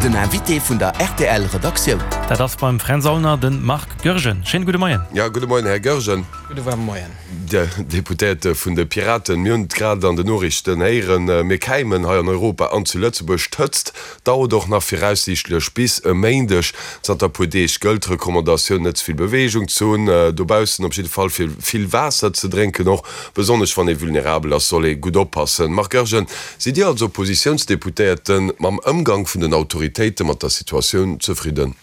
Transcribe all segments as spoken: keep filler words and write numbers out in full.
Den Invité vun der R T L Redaktioun. Dat ass beim Fränz Aulner de Marc Goergen. Schéine gudde Moien. Ja, gudde Moien, Här Goergen. Gudde waarme Moien. De Deputéierte vun de Piraten, mir hunn et grad an den Noriichten héieren, mir käimen hei an Europa an zu Lëtzebuerg. D'Hëtzt dauert och nach viraussiichtlech bis e Méindeg. Zanter e puer Deeg gëllt d'Recommandatioun, net ze vill Beweegung ze hunn dobaussen, op jidde Fall fir vill Waasser ze drénken. Och besonnesch wann ee vulnerabel ass, soll ee gutt oppassen. Marc Goergen, sidd Dir als Oppositiounsdeputéierte mam Ëmgang vun den Autoritéite mat der Situatioun zefridden?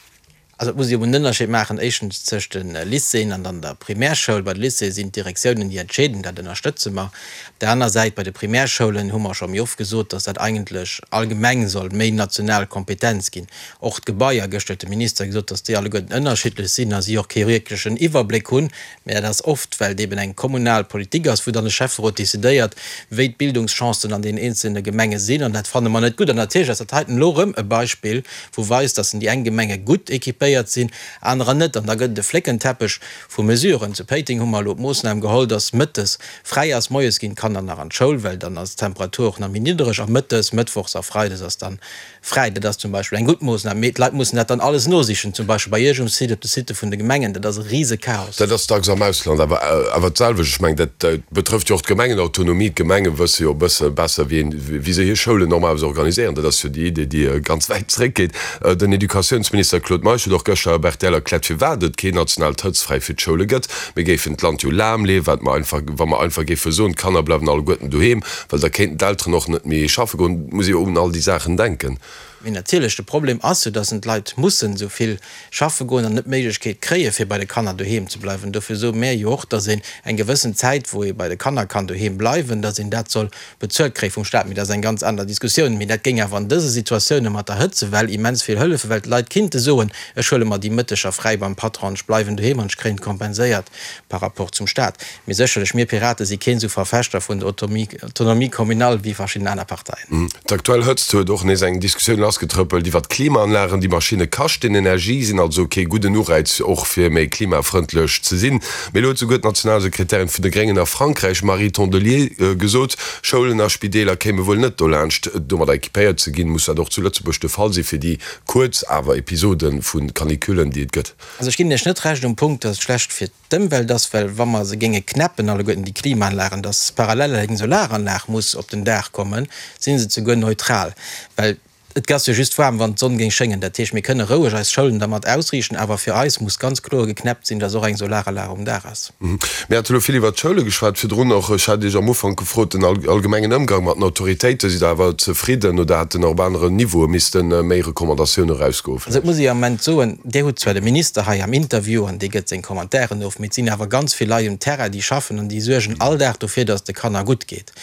Also et muss ee jo en Ënnerscheed maachen, éischtens tëscht de Lycéeën an dann der Primärschoul. Bei de Lycéeë sinn d'Direktiounen, déi entscheeden, dat ënnerstëtze mer. Op där aner Säit, bei de Primärschoulen hu mer scho méi oft gesot, dass dat eigentlech allgemeng soll méi national Kompetenz ginn. Och d'Gebaier, gëschter huet de Minister gesot, dass déi alleguerten ënnerschiddlech sinn a si och kee wierklechen Iwwerbléck hunn. Mä dat ass oft, well et eben eng kommunal Politik ass, wou dann de Schäfferot decidéiert, wéi d'Bildungschancen an deenen eenzelne Gemenge sinn. An dat fanne mer net gutt. An natierlech ass dat heiten elo erëm e Beispill, wou weist, dass déi eng Gemenge gutt équipéiert sinn, anerer net. An da gëtt et e Fléckenteppech vu Mesuren. Zu Péiteng hu mer elo d'Moossnam geholl, dass mëttes fräi ass. Moies ginn d'Kanner nach an d'Schoul, well dann ass d'Temperatur och nach méi niddereg. A mëttes, mëttwochs a freides ass dann fräi. Dat ass zum Beispill eng gutt Moossnam. Mee d'Leit mussen dat dann alles nosichen, zum Beispill bei Iech um Site, op de Sitte vun de Gemengen. Dat ass e Risechaos. Dat ass dacks am Ausland awer awer d'selwecht. Ech mengen, dat betrëfft jo och d'Gemengenautonomie. D'Gemenge wësse jo e bësse besser, wéi een, wéi se hir Schoulen normalerweis organiséieren. Dat ass jo déi Idee, déi ganz wäit zréckgeet. Den Educatiounsminister Claude Meisch huet och gëschter op R T L erkläert, firwat et keen nationaalt Hëtztfräi fir d'Schoule gëtt. Mir géifen d'Land jo lahmleeën, wat mer einfach, wa mer einfach géife soen, d'Kanner bleiwen alleguerten doheem, well da kéinten d'Elteren och net méi schaffe goen. Et muss ee jo un all déi Saachen denken. Mee natierlech, de Problem ass jo, dass d'Leit mussen esou vill schaffe goen an net d'Méiglechkeet kréien, fir bei de Kanner doheem ze bleiwen. Dofir soe mär jo och, dass een eng gewëssen Zäit, wou ee bei de Kanner kann doheem bleiwen, dass een dat soll bezuelt kréie vum Staat. Mee dat ass eng ganz aner Diskussioun. Mee dat géing awer an dëse Situatioune mat der Hëtzewell immens vill hëllefen, well d'Leit kinnte soen, ech huele mer déi Mëtteger fräi beim Patron, ech bleiwen doheem an ech kréien et kompenséiert par rapport zum Staat. Mee sécherlech, mir Pirate si keen esou Verfechter vun der Autonomie communale wéi verschidden aner Parteien. D'aktuell Hëtzt huet och nees eng Diskussioun lassgetrëppelt iwwer d'Klimaanlagen. Déi Maschinne kaschten Energie, sinn also kee gudden Ureiz och fir méi klimafrëndlech ze sinn. Mee elo huet souguer d'Nationalsekretärin vun de Gréngen a Frankräich, Marie Tondelier, gesot, Schoulen a Spideeler kéime wuel net dolaanscht domadder equipéiert ze ginn. Muss dat och zu Lëtzebuerg de Fall si fir déi kuerz awer Episode vu Canicullen, déi et gëtt? Also ech ginn Iech net Recht um Punkt, dass et schlecht fir d'Ëmwelt ass, well wa mer se géinge knäppen alleguerten déi Klimaanlagen, dass parallel eng Solaranlag muss op den Daach kommen, si se zeguer neutral, well et ass jo just waarm, wann d'Sonn géing schéngen. Dat heescht, mir kënne roueg eis Schoulen dermat ausriichten, awer fir eis muss ganz kloer geknäppt sinn, dass och eng Solaranlag um Daach ass. Mir hate lo vill iwwert d'Schoule geschwat virdrun och. Ech hat Iech am Ufank gefrot, den allgemengen Ëmgang mat den Autoritéiten, sidd Der awer zefridden oder hätten och op aneren Niveaue misste méi Recommandatioune erausgoen Also et vläicht? muss ee am Ament soen, Dir hutt zwar de Minister hei am Interview an dee gëtt seng Commentairen of, mee et sinn awer ganz vill Leit um Terrain, déi schaffen an déi suergen all Dag dofir, dass et de Kanner gutt geet.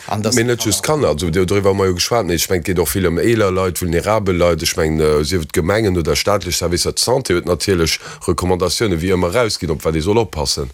An dass Mee net just d'Kanner, also doriwwer hu mer jo geschwat, mee ech mengen, et geet och vill ëm eeler Leit, vulnerabel Leit. Ech mengen, sief et Gemengen oder staatlech Servicer, d'Santé huet natierlech Recommandatiounen wéi ëmmer erausginn, op wat ee soll oppassen.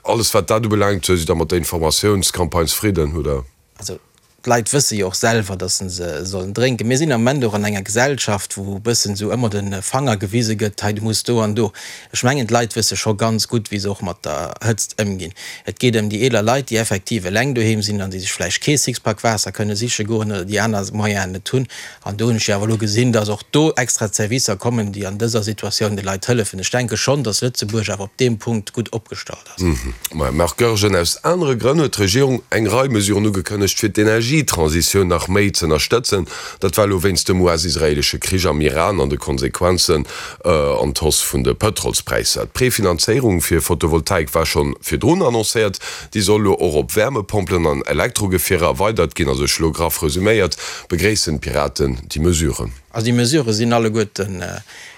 Alles wat dat ubelaangt, sidd Der mat der Informatiounscampagne zefridden, oder? Also d'Leit wësse jo och selwer, dass se sollen drénken. Mir sinn am Moment och an enger Gesellschaft, wou e bëssen esou ëmmer de Fanger gewise gëtt, hei du muss do an do. Ech mengen, d'Leit wësse scho ganz gutt, wéi se och mat der Hëtzt ëmginn. Et geet ëm déi eeler Leit, déi effektiv eleng doheem sinn an déi sech vläicht kee Sixpack Waasser kënne siche goen oder déi aner Moyenen net hunn. An do hunn ech jo awer elo gesinn, dass och do extra Zerwisser kommen, déi an dëser Situatioun de Leit hëllefen. Ech denke schonn, dass Lëtzebuerg awer op deem Punkt gutt opgestallt ass. Marc Goergen, Aus anere Grënn huet d'Regierung eng Rei Mesuren ugekënnegt, fir d'Energietransitioun nach méi z'ënnerstëtzen. Dat war elo wéinst dem U S-israeelesche Krich am Iran an de Konsequenzen an d'Hausse vun de Pëtrolspräisser. D'Prefinanzéierung fir Photovoltaik war scho virdrun annoncéiert. Déi soll elo och op Wärmepompelen an Elektrogefierer erweidert ginn. Also ech elo graff resuméiert, begréissen d'Piraten déi Mesuren. Also déi Mesurë sinn alleguerten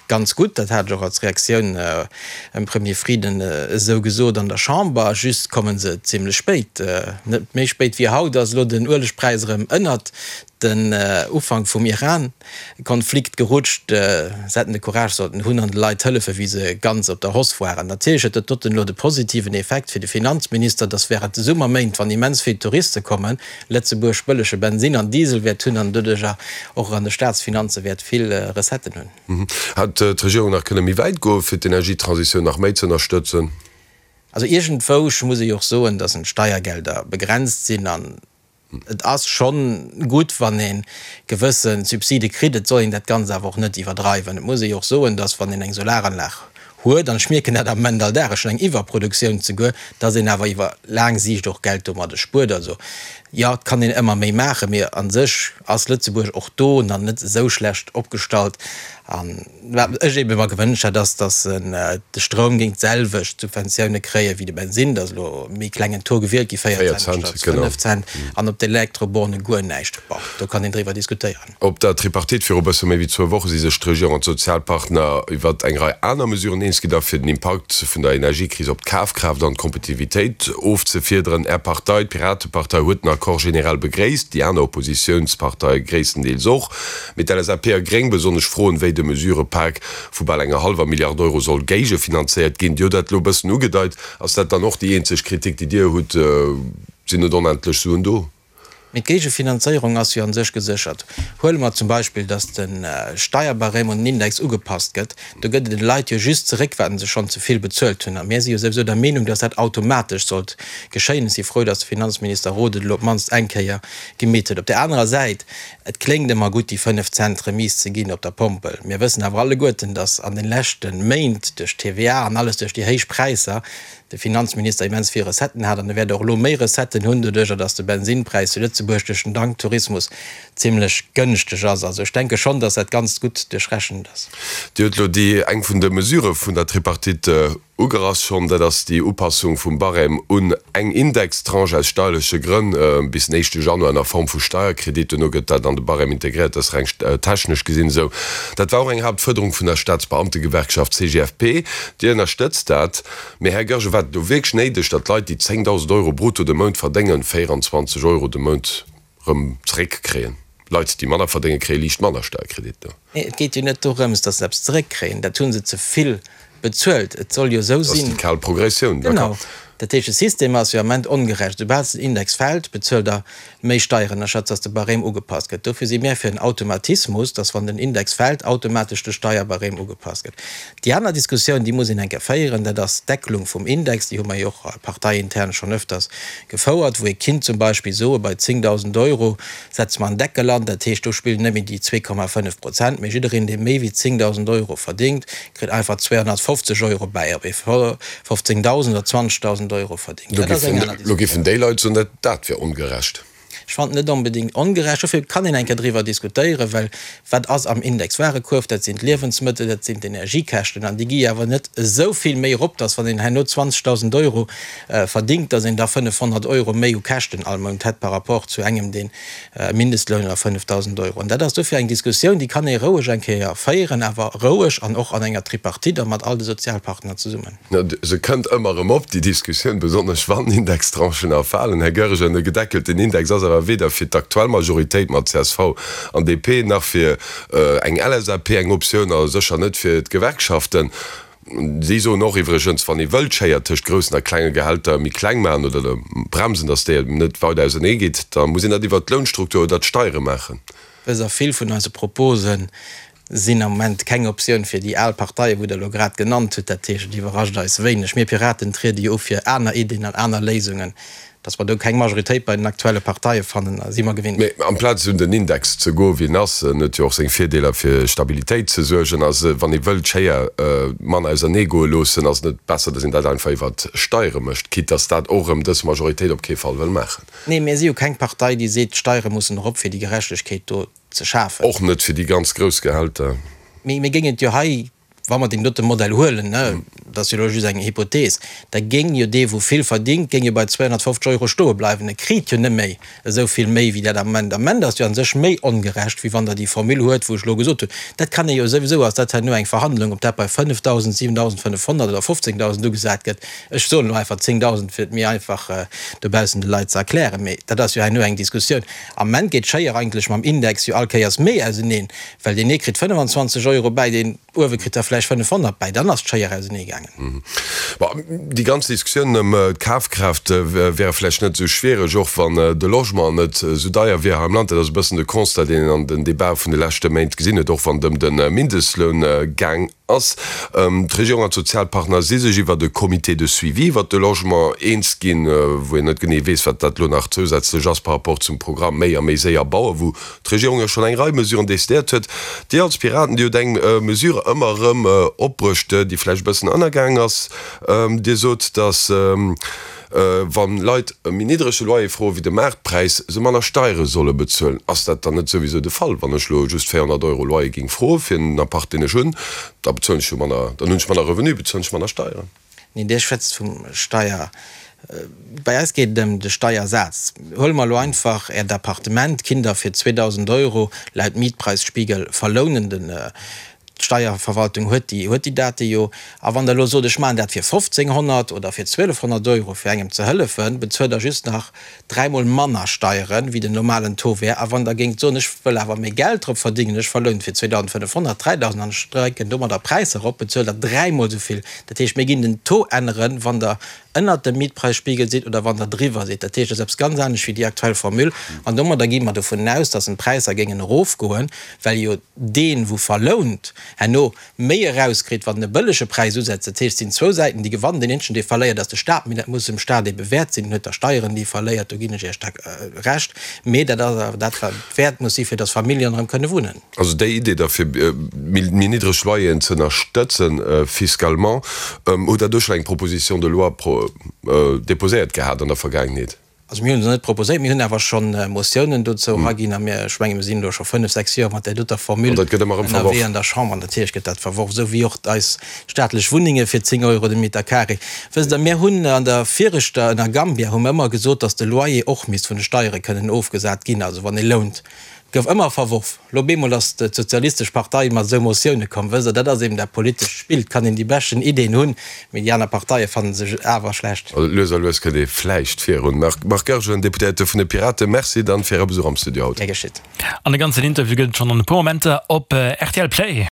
ganz gutt. Dat hat ech och als Reaktioun dem Premier Frieden esou gesot an der Chamber. Just komme se zimlech spéit. Net méi spéit wéi haut ass elo den Uelegpräis erëm ënnert den Ufank vum Iran-Konflikt gerutscht. Se hätten de Courage sollten hunn an de Leit hëllefen, wéi se ganz op der Hausse waren. Natierlech huet dat doten elo de positiven Effekt fir de Finanzminister, dass während de Summerméint, wann immens vill Touriste kommen, Lëtzebuerg bëllege Bensin an Diesel wäert hunn an doduercher och an de Staatsfinanze wäert vill Recetten hunn. Hätt d'Regierung nach kënne méi wäit goen, fir d'Energietransitioun nach méi ze ënnerstëtzen? Also iergendwou muss ee jo och soen, dass d'Steiergelder begrenzt sinn an Et ass schonn gutt, wann ee gewësse Subside kritt. Et soll een dat Ganzt awer och net iwwerdreiwen. Et muss ee jo och soen, dass, wann een eng Solaranlag huet, an ech mierken dat am Moment all Dag, ech hunn eng Iwwerproduktioun zeguer, dass een awer iwwer laang Siicht och Geld domadde spuert. Also, jo, et kann een ëmmer méi maachen, mee a sech ass Lëtzebuerg och do nach net esou schlecht opgestallt. An wat ech eebe mer gewënscht hätt, ass, dass de Stroum géing d'selwecht Subventioune kréie wéi de Bensinn. Dat ass elo e méi klengen Taux gewielt gi, véier Cent statt fënnef Cent, an op d'Elektroborne guer näischt. Bon, do kann een driwwer diskutéieren. Op der Tripartite viru bësse méi wéi zwou Woche si sech d'Regierung an d'Sozialpartner iwwer eng Rei aner Mesuren eens ginn, da fir den Impakt vun der Energiekris op d'Kafkraaft an d'Kompetitivitéit ofzefiederen. Är Partei, d'Piratepartei, huet den Accord generell begréisst, déi aner Oppositiounsparteie gréisstendeels och. Mee d'LSAP a Gréng besonnesch froen, wéi de Mesurëpak vu bal enger hallwer Milliard Euro soll géigefinanzéiert ginn. Dir hutt dat elo e bëssen ugedeit. Ass dat dann och déi eenzeg Kritik, déi Dir hutt? Sinn net onendlech Suen do? Mee d'Géigefinanzéierung ass jo a sech geséchert. Huele mer zum Beispill, datt de Steierbarème un den Index ugepasst gëtt. Do gëtt et de Leit jo just zeréck, wat se schonn ze vill bezuelt hunn. A mir si jo souwisou der Meenung, datt dat automatesch sollt geschéien. Ech si frou, datt de Finanzminister Roth et elo op d'mannst eng Kéier gemeet huet. Op där anerer Säit, et kléngt ëmmer gutt, déi fënnef Cent Remise ze ginn op der Pompel. Mir wëssen awer alleguerten, datt an de leschte Méint duerch d'TVA an alles, duerch déi héich Präisser, de Finanzminister immens vill Recetten hat an e wäert och elo méi Recetten hunn, doduerjer datt de Bensinnpräis zu Lëtzebuerg duerch den Tanktourismus zimlech gënschteg ass. Also ech denke schonn, datt dat Ganzt gutt duerchrechent ass. Dir hutt elo déi eng vun de Mesurë vun der Tripartite ugerass schonn, dat ass déi Upassung vum Barème un eng Indextranche aus steierleche Grënn bis den éischte Januar an der Form vu Steierkredit. Duerno gëtt dat an de Barème integréiert. Dat ass reng technesch gesinn esou. Dat war och eng Haaptfuerderung vun der Staatsbeamtegewerkschaft C G F P. Dir ënnerstëtzt dat. Mee Här Goergen, war et elo wierklech néideg, datt Leit, déi zéngdausend Euro brutto de Mount verdéngen, véieranzwanzeg Euro de Mount erëm zeréckkréien? Leit, déi manner verdéngen, kréie liicht manner Steierkreditter. Nee, et geet jo net dorëms, datt se eppes zeréckkréien. Dat hu se ze vill bezuelt. Et soll jo esou Dat ass sinn. déi kal Progressioun, Genau. d'accord. Dat heescht, de System ass jo am Ament ongerecht. Soubal den Index fält, bezuelt Der méi Steieren, anstatt datt de Barème ugepasst gëtt. Dofir si mir fir en Automatismus, datt wann den Index fält, automatesch de Steierbarème ugepasst gëtt. Déi aner Diskussioun, déi muss een eng Kéier féieren, dat ass d'Deckelung vum Index. Déi hu mer jo och parteiintern schonn öfters gefouert, wou ee kinnt zum Beispill soe bei zéngdausend Euro setze mer en Deckel an. Dat heescht, do spillen net méi déi zwee Komma fënnef Prozent, mee jiddereen, dee méi wéi zéngdausend Euro verdéngt, kritt einfach zweehonnertfofzeg Euro bäi, ob ee fofzéngdausend oder zwanzegdausend Euro verdéngt. Lo Dat ass eng giffen, aner lo Diskussioun. giffen déi Leit soen, dat, dat wier ongerecht. Ech fannen et net onbedéngt ongerecht. Dofir kann een eng Kéier driwwer diskutéieren, well wat ass am Indexwarekuerf? Dat sinn d'Liewensmëttel, dat sinn d'Energiekäschten an déi gi awer net esou vill méi erop, dass wann een herno zwanzegdausend Euro verdéngt, dass een da fënnefhonnert Euro méi u Käschten all Mount hätt par rapport zu engem, deen e Mindestloun oder fënnefdausend Euro. An dat ass dofir eng Diskussioun, déi kann ee roueg eng Kéier féieren, awer roueg an och an enger Tripartite a mat all de Sozialpartner zesummen. Se kënnt ëmmer erëm op, déi Diskussioun, besonnesch wann Indextranchen erfalen. Här Goergen, e gedeckelten Index ass awer weder fir d'aktuell Majoritéit mat C S V an D P nach fir eng L S A P eng Optioun a sécher net fir d'Gewerkschaften. Si soen och iwwregens, wann ee wëllt d'Schéier tëscht groussen a klenge Gehälter méi kleng maachen oder bremsen, datt déi net weider ausernee geet, da muss een dat iwwert d'Lounstruktur oder d'Steiere maachen. Wësst Der, vill vun eise Propose sinn am Moment keng Optioun fir déi al Parteien, wou Der elo grad genannt hutt. Dat heescht, et iwwerrascht eis wéineg. Mir Piraten triede jo u fir aner Iddien an aner Léisungen. Dass mer do keng Majoritéit bei den aktuelle Parteie fannen, si mer gewinnt. Mee amplaz un den Index ze goen, wéi en ass, en huet jo och seng Virdeeler, fir Stabilitéit ze suergen, ass, wann ee wëllt d'Schéier manner ausernee goe loossen, ass et net besser, dass een dat einfach iwwert Steiere mécht, quitte dass dat och erëm dës Majoritéit op kee Fall wëll maachen? Nee, mir si jo keng Partei, déi seet, d'Steiere mussen erop, fir déi Gerechtegkeet do ze schafen. Och net fir déi ganz grouss Gehälter. Mee mir géingen et jo hei, wa mer deen dote Modell huelen, dat ass jo elo just eng Hypothees, da géing jo dee wou vill verdingt, géing jo bei zweehonnertfofzeg Euro stoe bleiwen. E kritt jo net méi esou vill méi wéi dat am Moment. Am Moment ass jo a sech méi ongerecht, wéi wann Der déi Formule huet, wou ech elo gesot hunn. Dat kann ee jo souwisou, ass dat herno eng Verhandlung, ob dat bei fënnefdausend, siwendausendfënnefhonnert oder fofzéngdausend ugesat gëtt. Ech soen elo einfach zéngdausend, fir et méi einfach dobaussen de Leit ze erklären. Mee dat ass jo herno eng Diskussioun. Am Moment geet d'Schéier eigentlech mam Index jo all Kéiers méi auseneen, well deen ee kritt fënnefenzwanzeg Euro bäi, deen uewe kritt der vläicht fënnefhonnert bäi, dann ass d'Schéier ausenee gaangen. ubelaangen. Bon, déi ganz Diskussioun ëm d'Kafkraaft wär vläicht net esou schwiereg, och wann de Logement net esou deier wier hei am Land. Dat ass e bëssen de Constat, deen een an den Debatë vun de leschte Méint gesinn huet, och wann et ëm de Mindestloun gaang ass. D'Regierung an d'Sozialpartner si sech iwwert e Comité de suivi iwwert de Logement eens ginn, wou een net genee weess, wat dat elo nach zousätzlech ass par rapport zum Programm Méi a méi séier bauen, wou d'Regierung jo schonn eng Rei Mesuren decidéiert huet. Dir als Piraten, Dir hutt eng Mesure ëmmer erëm opbruecht, déi vläicht e bëssen ënnergaang ass. Dir sot, datt wa Leit e méi niddrege Loyer froe wéi de Maartpräis, se manner Steiere solle bezuelen. Ass dat dann net souwisou de Fall? Wann ech elo just véierhonnert Euro Loyer géing froe fir en Appart, deen ech hunn, da bezuelen ech jo manner, dann hunn ech manner Revenu, bezuelen ech manner Steieren. Neen, Dir schwätzt vum Steier. Bei eis geet et ëm de Steiersaz. Huele mer elo einfach Äert Appartement, kinnt Der fir zweedausend Euro laut Mietpreisspiegel verlounen. Den D'Steierverwaltung huet déi, huet déi Date jo. A wann Der elo sot, ech maachen dat fir fofzénghonnert oder fir zwielefhonnert Euro, fir engem ze hëllefen, bezuelt Der just nach dräimol manner Steieren, wéi den normalen Taux wär. A wann Der géingt soen, ech wëll awer méi Geld drop verdingen, ech verlounen fir zweedausendfënnefhonnert, dräidausend an ech drécken domadder d'Präisser erop, bezuelt Der dräimol esou vill. Dat heescht, mir ginn den Taux änneren, wann Der ënnert dem Mietpreisspiegel sidd oder wann Der driwwer sidd. Dat heescht, dat ass eppes ganz anescht wéi déi aktuell Formule. An domadder gi mer dovun aus, dass d'Präisser géingen erofgoen, well jo deen, wou verlount, herno méi erauskritt, wann en e bëllege Präis usetzt. Dat heescht, et sinn zwou Säiten, déi gewannen. Deen eenzegen, dee verléiert, ass de Stat. Mee dat muss dem Stat ebe wäert sinn. En huet da Steieren, déi e verléiert, do ginn ech Iech da Recht. Mee dat ass awer dat, wat et wäert muss si fir dass Familljen erëm kënne wunnen. Also déi Idee da fir méi niddreg Loyeren ze ënnerstëtzen fiscalement, hutt Der do schonn eng Proposition de loi déposéiert gehat an der Vergaangenheet? Also mir hunn se net proposéiert, mir hunn awer scho Motiounen dozou eraginn a mir, ech menge mir sinn elo scho fënnef, sechs Joer mat där doter Formule ënnerwee an der Chamber an natierlech gëtt dat verworf, esou wéi och eis staatlech Wunnenge fir zéng Euro de Meter carré. Wësst Der, mir hunn an der viregter, ënner Gambia, hu mir ëmmer gesot, datt de Loyer och misst vun de Steiere kënnen ofgesat ginn, also wann ee lount. Gouf ëmmer verworf. Lo op eemol ass d'Sozialistesch Partei mat esou Motioune komm. Wësst Der, dat ass eben dat politescht Spill. Et kann een déi beschten Ideen hunn, mee déi aner Parteie fanne se awer schlecht. Also lues a lues kënnt ee vläicht virun. Marc Goergen, Deputéierte vun de Piraten, Merci dann fir Äre Besuch am Studio haut. Gär geschitt. An de ganzen Interview gëtt et schonn an e puer Momenter op rtl Play.